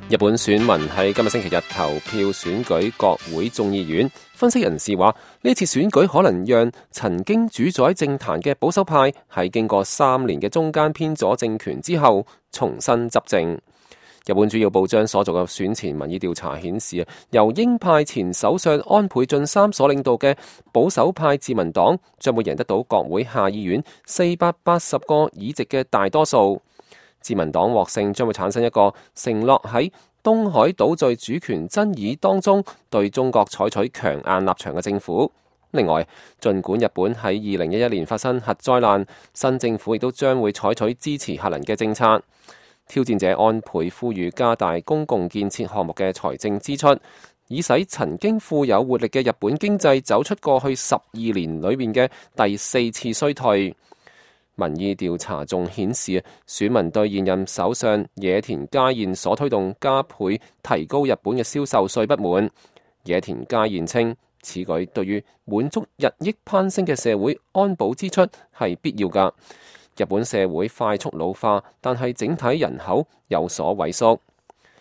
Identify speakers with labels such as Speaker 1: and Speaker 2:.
Speaker 1: 日本選民喺今日星期日投票選舉國會眾議院，分析人士話呢次選舉可能讓曾經主宰政壇嘅保守派喺經過3年嘅中間偏左政權之後重新執政。日本主要報章所做嘅選前民意調查顯示，由鷹派前首相安倍晉三所領導嘅保守派自民黨將會贏得到國會下議院480個議席嘅大多數。自民黨獲勝將會產生一個承諾喺東海島嶼主權爭議當中對中國採取強硬立場嘅政府。另外，儘管日本喺2011年發生核災難，新政府亦都將會採取支持核能嘅政策。挑戰者安倍呼籲加大公共建設項目嘅財政支出，以使曾經富有活力嘅日本經濟走出過去12年裏面嘅第4次衰退。民意調查仲顯示，選民對現任首相野田佳彥所推動加倍提高日本嘅銷售稅不滿。野田佳彥稱，此舉對於滿足日益攀升嘅社會安保支出係必要㗎。日本社會快速老化，但係整體人口有所萎縮。